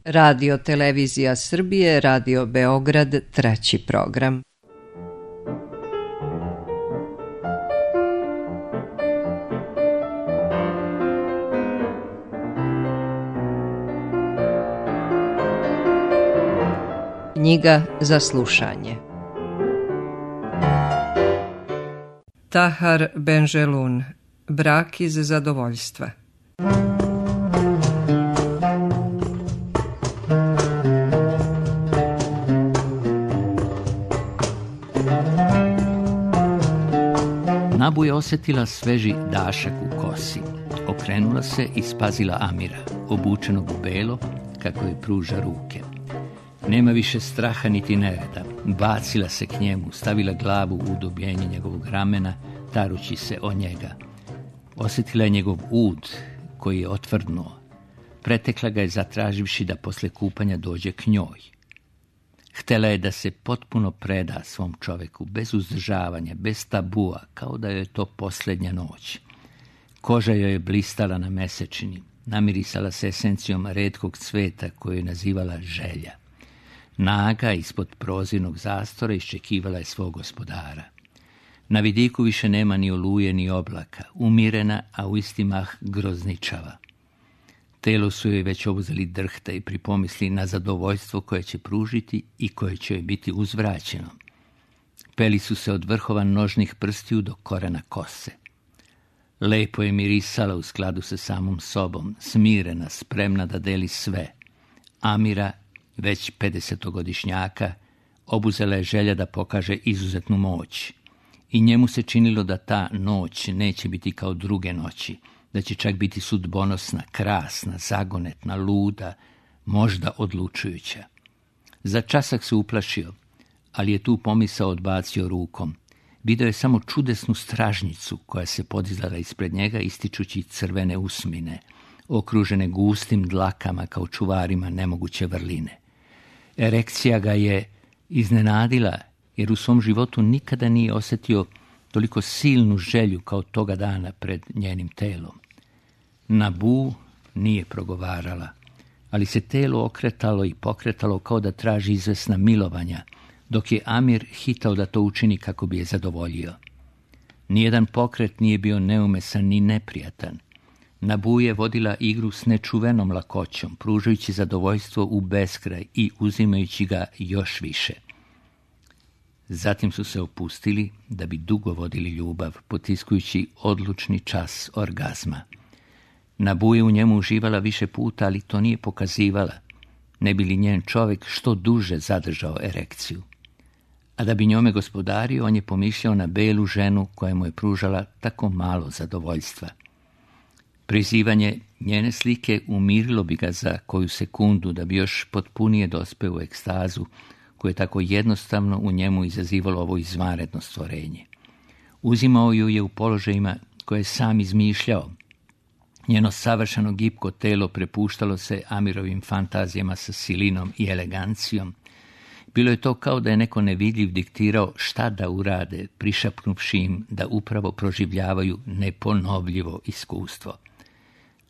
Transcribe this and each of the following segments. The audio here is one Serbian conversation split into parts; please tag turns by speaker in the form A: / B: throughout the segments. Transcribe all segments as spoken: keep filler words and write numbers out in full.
A: Radio Televizija Srbije, Radio Beograd, treći program. Knjiga za slušanje. Tahar Benjelun, Brak iz zadovoljstva.
B: Nabu je osjetila sveži dašak u kosi. Okrenula se i spazila Amira, obučenog u belo, kako je pruža ruke. Nema više straha niti nereda. Bacila se k njemu, stavila glavu u udobljenje njegovog ramena, tarući se o njega. Osjetila je njegov ud, koji je otvrdnuo. Pretekla ga je zatraživši da posle kupanja dođe k njoj. Htela je da se potpuno preda svom čoveku, bez uzdržavanja, bez tabua, kao da joj je to posljednja noć. Koža joj je blistala na mesečini, namirisala se esencijom retkog cveta koju je nazivala želja. Naga ispod prozirnog zastora iščekivala je svog gospodara. Na vidiku više nema ni oluje ni oblaka, umirena, a u isti mah grozničava. Telo su joj već obuzeli drhta i pripomisli na zadovoljstvo koje će pružiti i koje će joj biti uzvraćeno. Peli su se od vrhova nožnih prstiju do korena kose. Lepo je mirisala u skladu sa samom sobom, smirena, spremna da deli sve. Amira, već pedesetogodišnjaka, obuzela je želja da pokaže izuzetnu moć. I njemu se činilo da ta noć neće biti kao druge noći, da će čak biti sudbonosna, krasna, zagonetna, luda, možda odlučujuća. Za časak se uplašio, ali je tu pomisao odbacio rukom. Video je samo čudesnu stražnicu koja se podizala ispred njega ističući crvene usmine, okružene gustim dlakama kao čuvarima nemoguće vrline. Erekcija ga je iznenadila, jer u svom životu nikada nije osjetio toliko silnu želju kao toga dana pred njenim telom. Nabu nije progovarala, ali se telo okretalo i pokretalo kao da traži izvesna milovanja, dok je Amir hitao da to učini kako bi je zadovoljio. Nijedan pokret nije bio neumesan ni neprijatan. Nabu je vodila igru s nečuvenom lakoćom, pružajući zadovoljstvo u beskraj i uzimajući ga još više. Zatim su se opustili da bi dugo vodili ljubav, potiskujući odlučni čas orgazma. Nabu je u njemu uživala više puta, ali to nije pokazivala, ne bi li njen čovjek što duže zadržao erekciju. A da bi njome gospodario, on je pomišljao na belu ženu koja mu je pružala tako malo zadovoljstva. Prizivanje njene slike umirilo bi ga za koju sekundu da bi još potpunije dospeo u ekstazu koje je tako jednostavno u njemu izazivalo ovo izvanredno stvorenje. Uzimao ju je u položajima koje je sam izmišljao. Njeno savršeno gipko telo prepuštalo se Amirovim fantazijama sa silinom i elegancijom. Bilo je to kao da je neko nevidljiv diktirao šta da urade, prišapnuvši im da upravo proživljavaju neponovljivo iskustvo.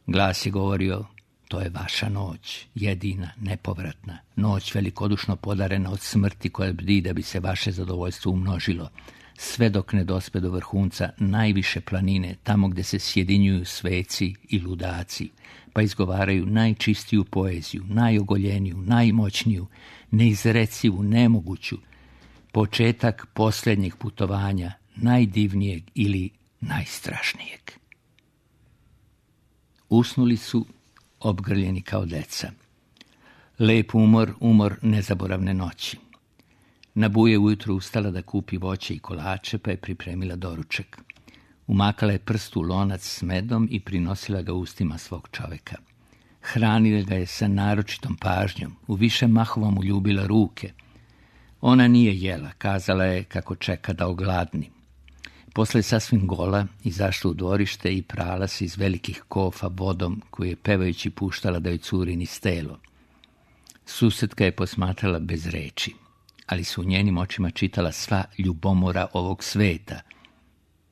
B: Glas je govorio: to je vaša noć, jedina, nepovratna, noć velikodušno podarena od smrti koja bdi da bi se vaše zadovoljstvo umnožilo, sve dok ne dospe do vrhunca najviše planine, tamo gdje se sjedinjuju sveci i ludaci, pa izgovaraju najčistiju poeziju, najogoljeniju, najmoćniju, neizrecivu, nemoguću, početak posljednjeg putovanja, najdivnijeg ili najstrašnijeg. Usnuli su obgrljeni kao deca. Lep umor, umor nezaboravne noći. Nabu je ujutro ustala da kupi voće i kolače, pa je pripremila doručak. Umakala je prst u lonac s medom i prinosila ga ustima svog čoveka. Hranila ga je sa naročitom pažnjom, u više mahova mu ljubila ruke. Ona nije jela, kazala je kako čeka da ogladni. Posle je sasvim gola izašla u dvorište i prala se iz velikih kofa vodom koju je pevajući puštala da joj curi niz telo. Susedka je posmatrala bez reči, ali su u njenim očima čitala sva ljubomora ovog sveta.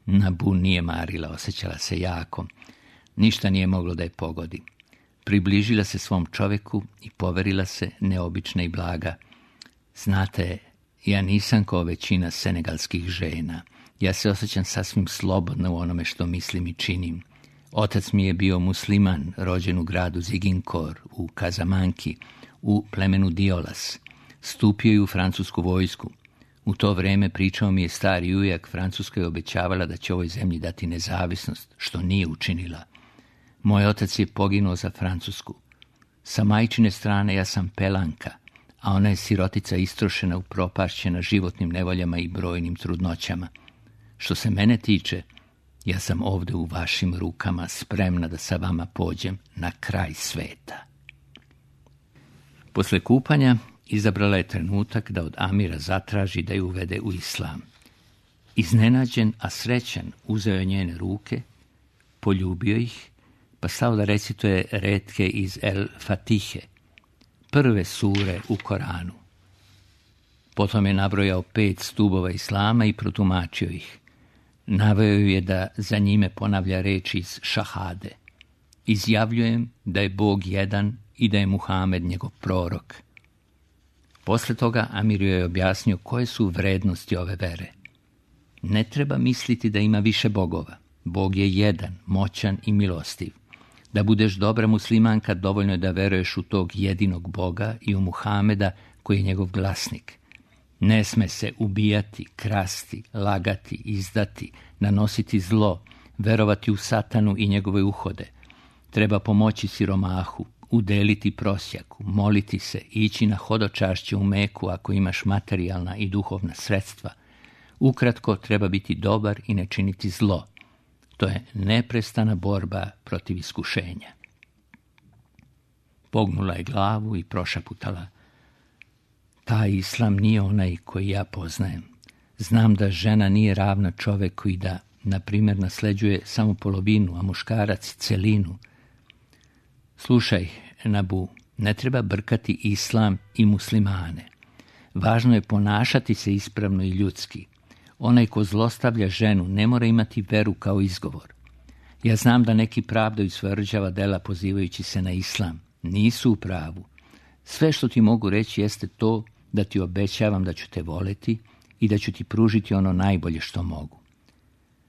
B: Nabu nije marila, osjećala se jako. Ništa nije moglo da je pogodi. Približila se svom čoveku i poverila se neobična i blaga. Znate, ja nisam kao većina senegalskih žena. Ja se osjećam sasvim slobodno u onome što mislim i činim. Otac mi je bio musliman, rođen u gradu Ziguinchor, u Kazamanki, u plemenu Diolas. Stupio je u francusku vojsku. U to vreme pričao mi je stari ujak, Francuska je obećavala da će ovoj zemlji dati nezavisnost, što nije učinila. Moj otac je poginuo za Francusku. Sa majčine strane ja sam pelanka, a ona je sirotica istrošena, upropašćena životnim nevoljama i brojnim trudnoćama. Što se mene tiče, ja sam ovdje u vašim rukama, spremna da sa vama pođem na kraj sveta. Posle kupanja izabrala je trenutak da od Amira zatraži da ju uvede u islam. Iznenađen, a srećan, uzeo je njene ruke, poljubio ih, pa stao da recituje retke iz El Fatihe, prve sure u Koranu. Potom je nabrojao pet stubova islama i protumačio ih. Naveo je da za njime ponavlja reči iz šahade. Izjavljujem da je Bog jedan i da je Muhamed njegov prorok. Posle toga Amir joj je objasnio koje su vrednosti ove vere. Ne treba misliti da ima više bogova. Bog je jedan, moćan i milostiv. Da budeš dobra muslimanka, dovoljno je da veruješ u tog jedinog Boga i u Muhameda koji je njegov glasnik. Ne sme se ubijati, krasti, lagati, izdati, nanositi zlo, verovati u satanu i njegove uhode. Treba pomoći siromahu, udeliti prosjaku, moliti se, ići na hodočašće u Meku ako imaš materijalna i duhovna sredstva. Ukratko, treba biti dobar i ne činiti zlo. To je neprestana borba protiv iskušenja. Pognula je glavu i prošaputala. Taj islam nije onaj koji ja poznajem. Znam da žena nije ravna čoveku i da, na primjer, nasleđuje samo polovinu, a muškarac celinu. Slušaj, Nabu, ne treba brkati islam i muslimane. Važno je ponašati se ispravno i ljudski. Onaj ko zlostavlja ženu ne mora imati veru kao izgovor. Ja znam da neki pravdaju svoja rđava dela pozivajući se na islam. Nisu u pravu. Sve što ti mogu reći jeste to da ti obećavam da ću te voleti i da ću ti pružiti ono najbolje što mogu.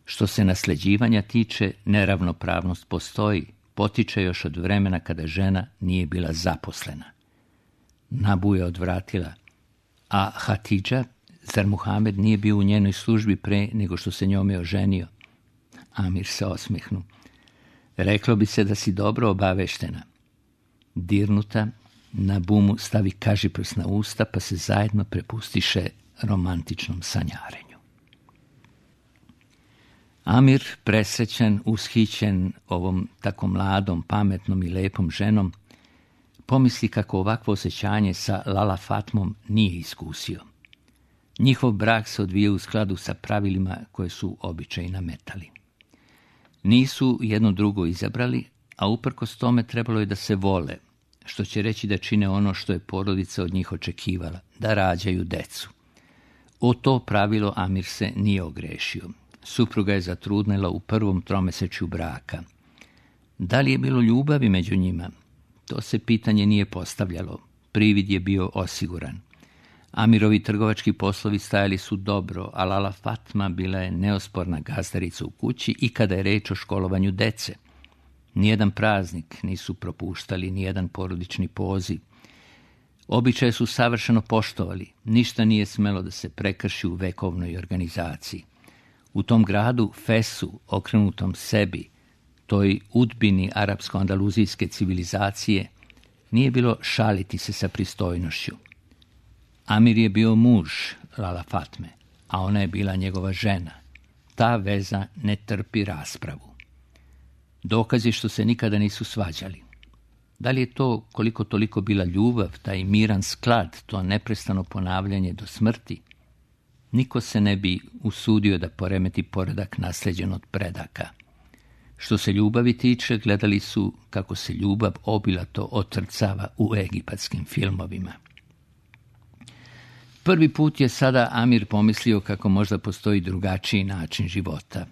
B: Što se nasljeđivanja tiče, neravnopravnost postoji, potiče još od vremena kada žena nije bila zaposlena. Nabu je odvratila. A Hatidža, zar Muhamed nije bio u njenoj službi pre nego što se njome oženio? Amir se osmehnu. Reklo bi se da si dobro obaveštena. Dirnuta, Nabu mu stavi kažiprst na usta, pa se zajedno prepustiše romantičnom sanjarenju. Amir, presrećan, ushićen ovom tako mladom, pametnom i lepom ženom, pomisli kako ovakvo osjećanje sa Lala Fatmom nije iskusio. Njihov brak se odvija u skladu sa pravilima koje su običaji nametali. Nisu jedno drugo izabrali, a uprkos tome trebalo je da se vole, što će reći da čine ono što je porodica od njih očekivala, da rađaju decu. O to pravilo Amir se nije ogrešio. Supruga je zatrudnela u prvom tromesečju braka. Da li je bilo ljubavi među njima? To se pitanje nije postavljalo. Privid je bio osiguran. Amirovi trgovački poslovi stajali su dobro, a Lala Fatma bila je neosporna gazdarica u kući i kada je reč o školovanju dece. Nijedan praznik nisu propuštali, nijedan porodični poziv. Običaje su savršeno poštovali, ništa nije smelo da se prekrši u vekovnoj organizaciji. U tom gradu, Fesu, okrenutom sebi, toj udbini arapsko-andaluzijske civilizacije, nije bilo šaliti se sa pristojnošću. Amir je bio muž Lala Fatme, a ona je bila njegova žena. Ta veza ne trpi raspravu. Dokaz je što se nikada nisu svađali. Da li je to koliko toliko bila ljubav, taj miran sklad, to neprestano ponavljanje do smrti? Niko se ne bi usudio da poremeti poredak nasleđen od predaka. Što se ljubavi tiče, gledali su kako se ljubav obilato otrcava u egipatskim filmovima. Prvi put je sada Amir pomislio kako možda postoji drugačiji način života.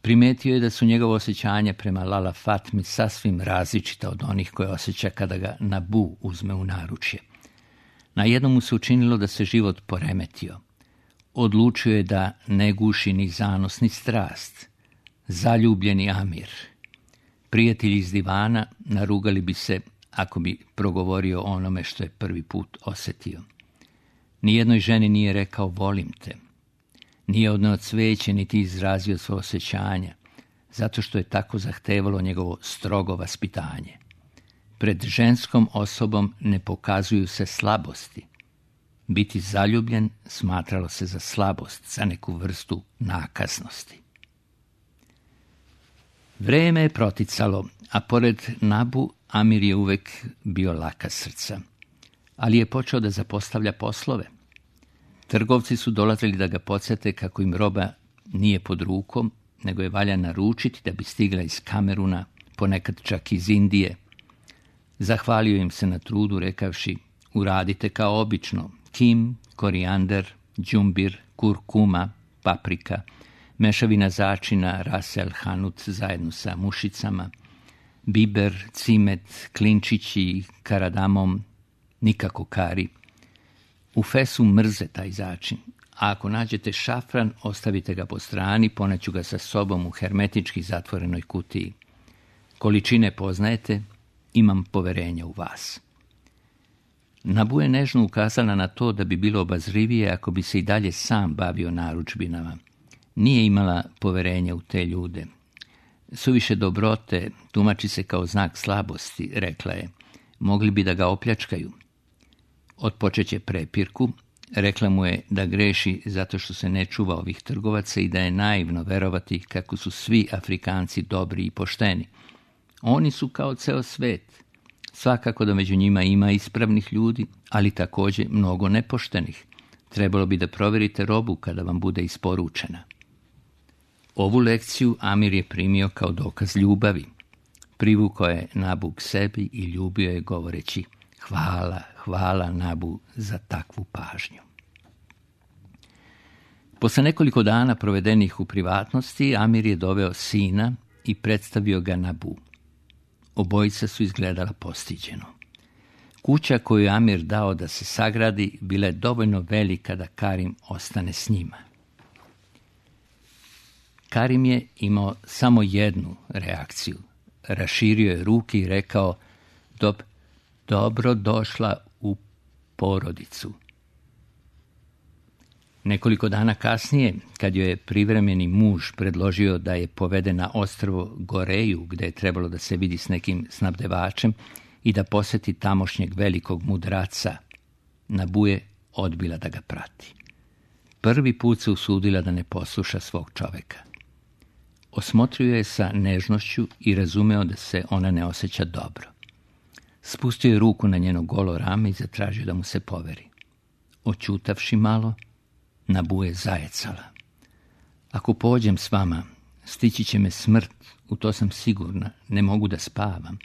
B: Primetio je da su njegova osjećanja prema Lala Fatmi sasvim različita od onih koje osjeća kada ga Nabu uzme u naručje. Na jednom mu se učinilo da se život poremetio. Odlučio je da ne guši ni zanos ni strast. Zaljubljeni Amir. Prijatelji iz divana narugali bi se ako bi progovorio o onome što je prvi put osjetio. Nijednoj ženi nije rekao volim te. Nije odneo cveće niti izrazio svoje osjećanja, zato što je tako zahtevalo njegovo strogo vaspitanje. Pred ženskom osobom ne pokazuju se slabosti. Biti zaljubljen smatralo se za slabost, za neku vrstu nakaznosti. Vreme je proticalo, a pored Nabu Amir je uvek bio laka srca, ali je počeo da zapostavlja poslove. Trgovci su dolazili da ga podsjete kako im roba nije pod rukom, nego je valja naručiti da bi stigla iz Kameruna, ponekad čak iz Indije. Zahvalio im se na trudu rekavši, uradite kao obično, kim, korijander, džumbir, kurkuma, paprika, mešavina začina, rasel, hanut zajedno sa mušicama, biber, cimet, klinčići, karadamom, nikako kari. U Fesu mrze taj začin, a ako nađete šafran, ostavite ga po strani, poneću ga sa sobom u hermetički zatvorenoj kutiji. Količine poznajete, imam poverenja u vas. Nabu je nežno ukazala na to da bi bilo obazrivije ako bi se i dalje sam bavio narudžbinama. Nije imala poverenja u te ljude. Suviše dobrote tumači se kao znak slabosti, rekla je. Mogli bi da ga opljačkaju. Otpočeće prepirku, rekla mu je da greši zato što se ne čuva ovih trgovaca i da je naivno verovati kako su svi Afrikanci dobri i pošteni. Oni su kao ceo svet. Svakako da među njima ima ispravnih ljudi, ali također mnogo nepoštenih. Trebalo bi da provjerite robu kada vam bude isporučena. Ovu lekciju Amir je primio kao dokaz ljubavi. Privukao je Nabu k sebi i ljubio je govoreći hvala, hvala Nabu za takvu pažnju. Posle nekoliko dana provedenih u privatnosti, Amir je doveo sina i predstavio ga Nabu. Obojica su izgledala postiđeno. Kuća koju je Amir dao da se sagradi bila je dovoljno velika da Karim ostane s njima. Karim je imao samo jednu reakciju. Raširio je ruke i rekao Dob, dobro došla u porodicu. Nekoliko dana kasnije, kad joj je privremeni muž predložio da je povede na ostrvo Goreju, gde je trebalo da se vidi s nekim snabdevačem i da posjeti tamošnjeg velikog mudraca, Nabu je odbila da ga prati. Prvi put se usudila da ne posluša svog čoveka. Osmotrio je sa nežnošću i razumeo da se ona ne osjeća dobro. Spustio je ruku na njeno golo rame i zatražio da mu se poveri. Oćutavši malo, Nabu je zajecala. Ako pođem s vama, stići će me smrt, u to sam sigurna, ne mogu da spavam.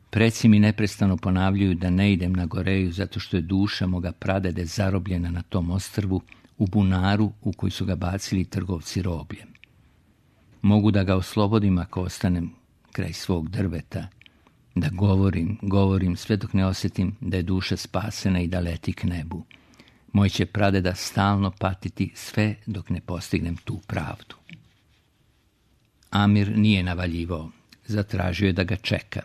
B: Preci mi neprestano ponavljaju da ne idem na Goreju zato što je duša moga pradede zarobljena na tom ostrvu u bunaru u koji su ga bacili trgovci robljem. Mogu da ga oslobodim ako ostanem kraj svog drveta, da govorim, govorim sve dok ne osjetim da je duša spasena i da leti k nebu. Moj će pradeda stalno patiti sve dok ne postignem tu pravdu. Amir nije navaljivao, zatražio je da ga čeka.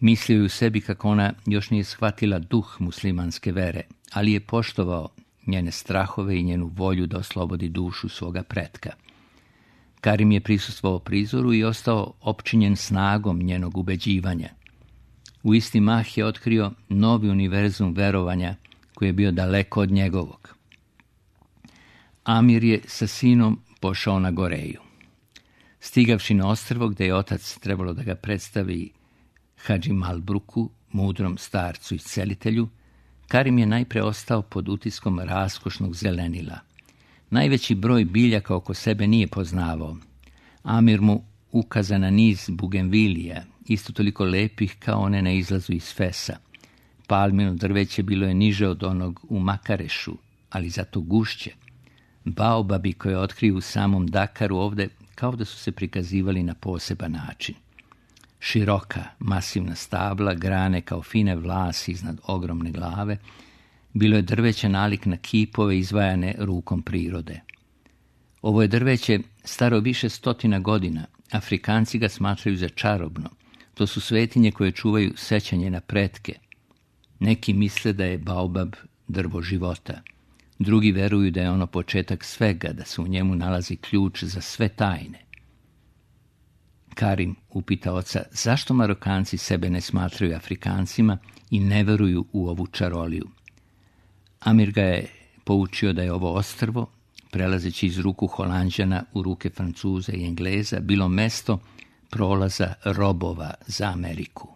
B: Mislio je u sebi kako ona još nije shvatila duh muslimanske vere, ali je poštovao njene strahove i njenu volju da oslobodi dušu svoga pretka. Karim je prisustvovao prizoru i ostao opčinjen snagom njenog ubeđivanja. U isti mah je otkrio novi univerzum verovanja koji je bio daleko od njegovog. Amir je sa sinom pošao na Goreju. Stigavši na ostrvo gdje je otac trebalo da ga predstavi Hadži Malbruku, mudrom starcu i celitelju, Karim je najpre ostao pod utiskom raskošnog zelenila. Najveći broj biljaka oko sebe nije poznavao. Amir mu ukaza na niz bugenvilija, isto toliko lepih kao one na izlazu iz Fesa. Palmino drveće bilo je niže od onog u Makarešu, ali zato gušće. Baobabi koje otkriju u samom Dakaru ovde kao da su se prikazivali na poseban način. Široka, masivna stabla, grane kao fine vlasi iznad ogromne glave, bilo je drveće nalik na kipove izvajane rukom prirode. Ovo je drveće staro više stotina godina. Afrikanci ga smatraju za čarobno. To su svetinje koje čuvaju sećanje na pretke. Neki misle da je baobab drvo života. Drugi veruju da je ono početak svega, da se u njemu nalazi ključ za sve tajne. Karim upita oca zašto Marokanci sebe ne smatraju Afrikancima i ne veruju u ovu čaroliju. Amir ga je poučio da je ovo ostrvo, prelazeći iz ruku Holanđana u ruke Francuza i Engleza, bilo mesto prolaza robova za Ameriku.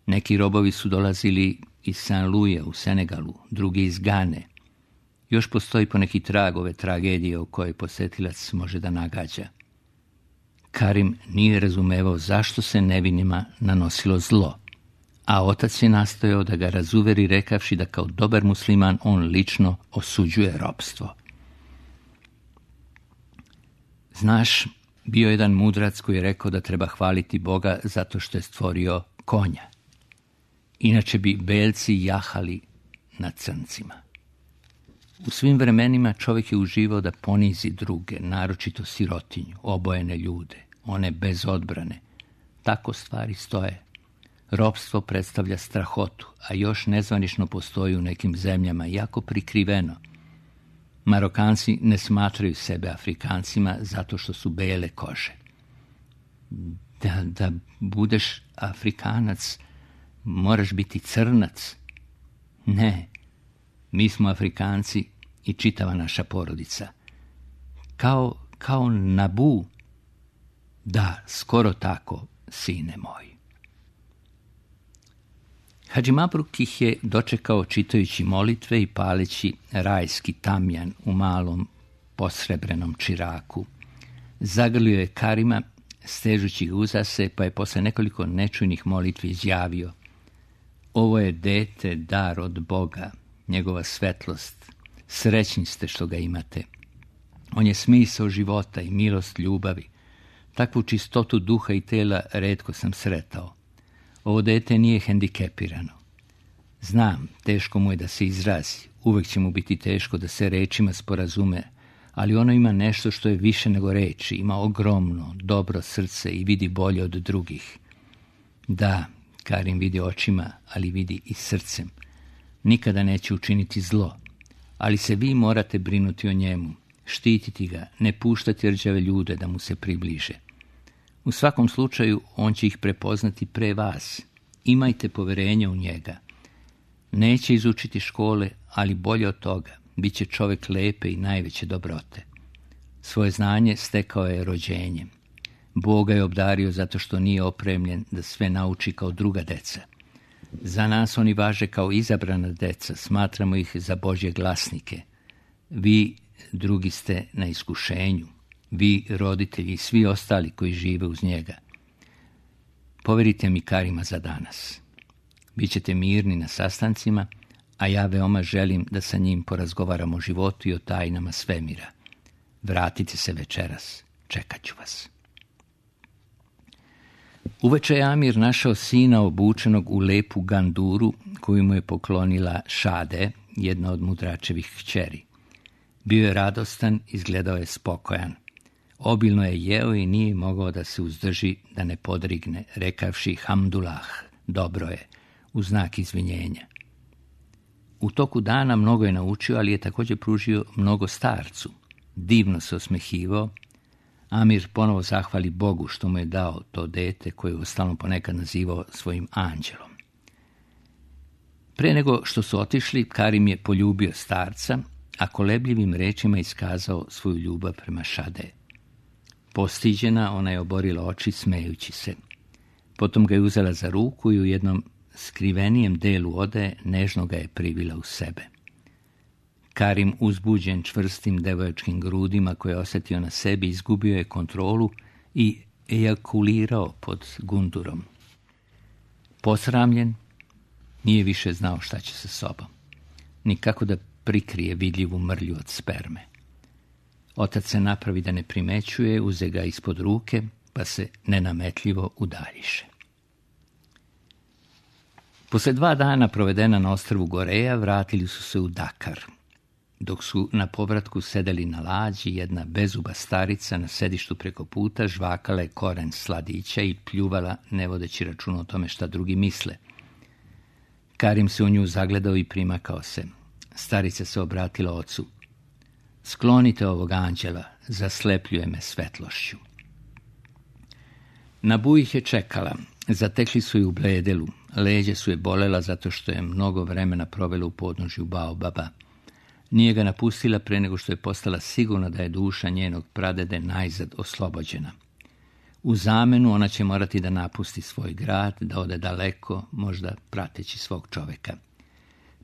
B: Neki robovi su dolazili iz Saint Louisa u Senegalu, drugi iz Gane. Još postoji poneki trag ove tragedije o kojoj posetilac može da nagađa. Karim nije razumevao zašto se nevinima nanosilo zlo, a otac je nastojao da ga razuveri rekavši da kao dobar musliman on lično osuđuje ropstvo. Znaš, bio je jedan mudrac koji je rekao da treba hvaliti Boga zato što je stvorio konja. Inače bi belci jahali na crncima. U svim vremenima čovjek je uživao da ponizi druge, naročito sirotinju, obojene ljude, one bez odbrane. Tako stvari stoje. Ropstvo predstavlja strahotu, a još nezvanično postoji u nekim zemljama, jako prikriveno. Marokanci ne smatraju sebe Afrikancima zato što su bele kože. Da, da budeš Afrikanac, moraš biti crnac. Ne, mi smo Afrikanci i čitava naša porodica. Kao, kao Nabu. Da, skoro tako, sine moj. Hadži Mabruk ih je dočekao čitajući molitve i paleći rajski tamjan u malom posrebrenom čiraku. Zagrlio je Karima, stežući ga uza se, pa je posle nekoliko nečujnih molitvi izjavio: ovo je dete, dar od Boga, njegova svetlost. Srećni ste što ga imate. On je smisao života i milost ljubavi. Takvu čistotu duha i tela retko sam sretao. Ovo dete nije hendikepirano. Znam, teško mu je da se izrazi, uvek će mu biti teško da se rečima sporazume, ali ono ima nešto što je više nego reči, ima ogromno, dobro srce i vidi bolje od drugih. Da, Karim vidi očima, ali vidi i srcem. Nikada neće učiniti zlo, ali se vi morate brinuti o njemu, štititi ga, ne puštati rđave ljude da mu se približe. U svakom slučaju, on će ih prepoznati pre vas. Imajte poverenja u njega. Neće izučiti škole, ali bolje od toga, bit će čovjek lepe i najveće dobrote. Svoje znanje stekao je rođenjem. Bog ga je obdario zato što nije opremljen da sve nauči kao druga deca. Za nas oni važe kao izabrana deca, smatramo ih za Božje glasnike. Vi drugi ste na iskušenju. Vi, roditelji i svi ostali koji žive uz njega. Poverite mi Karima za danas. Bićete mirni na sastancima, a ja veoma želim da sa njim porazgovaram o životu i o tajnama svemira. Vratite se večeras, čekat ću vas. Uveče je Amir našao sina obučenog u lepu ganduru koju mu je poklonila Šade, jedna od mudračevih kćeri. Bio je radostan, izgledao je spokojan. Obilno je jeo i nije mogao da se uzdrži da ne podrigne, rekavši hamdulah, dobro je, u znak izvinjenja. U toku dana mnogo je naučio, ali je također pružio mnogo starcu. Divno se osmehivao. Amir ponovo zahvali Bogu što mu je dao to dete koje je uostalom ponekad nazivao svojim anđelom. Pre nego što su otišli, Karim je poljubio starca, a kolebljivim rečima iskazao svoju ljubav prema Šade. Postiđena, ona je oborila oči smejući se. Potom ga je uzela za ruku i u jednom skrivenijem delu odaje nežno ga je privila u sebe. Karim, uzbuđen čvrstim devojačkim grudima koje je osjetio na sebi, izgubio je kontrolu i ejakulirao pod gundurom. Posramljen, nije više znao šta će sa sobom, nikako da prikrije vidljivu mrlju od sperme. Otac se napravi da ne primećuje, uze ga ispod ruke, pa se nenametljivo udaljiše. Posle dva dana provedena na ostrvu Goreja, vratili su se u Dakar. Dok su na povratku sedeli na lađi, jedna bezuba starica na sedištu preko puta žvakala je koren sladića i pljuvala, ne vodeći računa o tome šta drugi misle. Karim se u nju zagledao i primakao se. Starica se obratila ocu. Sklonite ovog anđela, zaslepljuje me svetlošću. Nabu ih je čekala. Zatekli su je u Bledelu. Leđe su je bolela zato što je mnogo vremena provela u podnožju baobaba. Nije ga napustila pre nego što je postala sigurna da je duša njenog pradede najzad oslobođena. U zamenu ona će morati da napusti svoj grad, da ode daleko, možda prateći svog čoveka.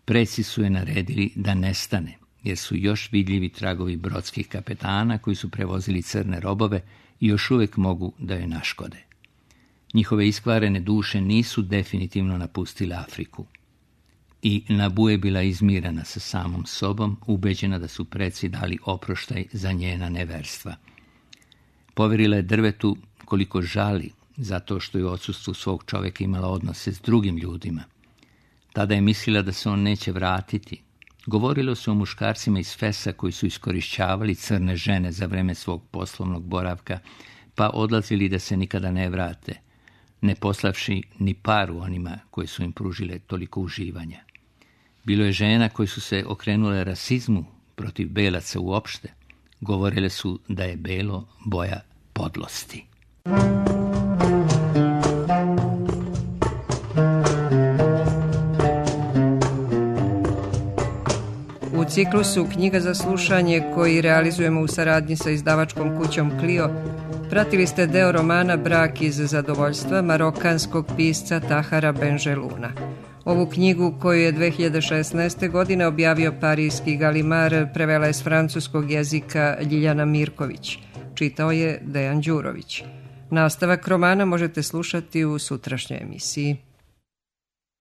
B: Preci su je naredili da nestane, jer su još vidljivi tragovi brodskih kapetana koji su prevozili crne robove i još uvek mogu da joj naškode. Njihove iskvarene duše nisu definitivno napustile Afriku. I Nabu je bila izmirana sa samom sobom, ubeđena da su preci dali oproštaj za njena neverstva. Poverila je drvetu koliko žali zato što je u odsustvu svog čoveka imala odnose s drugim ljudima. Tada je mislila da se on neće vratiti. Govorilo se o muškarcima iz Fesa koji su iskorišćavali crne žene za vreme svog poslovnog boravka, pa odlazili da se nikada ne vrate, ne poslavši ni paru onima koji su im pružile toliko uživanja. Bilo je žena koji su se okrenule rasizmu protiv belaca uopšte. Govorile su da je belo boja podlosti.
C: U ciklusu Knjiga za slušanje koji realizujemo u saradnji sa izdavačkom kućom Clio, pratili ste deo romana Brak iz zadovoljstva marokanskog pisca Tahara Benjeluna. Ovu knjigu, koju je dve hiljade šesnaeste. godine objavio parijski Galimar, prevela je s francuskog jezika Ljiljana Mirković. Čitao je Dejan Đurović. Nastavak romana možete slušati u sutrašnjoj emisiji.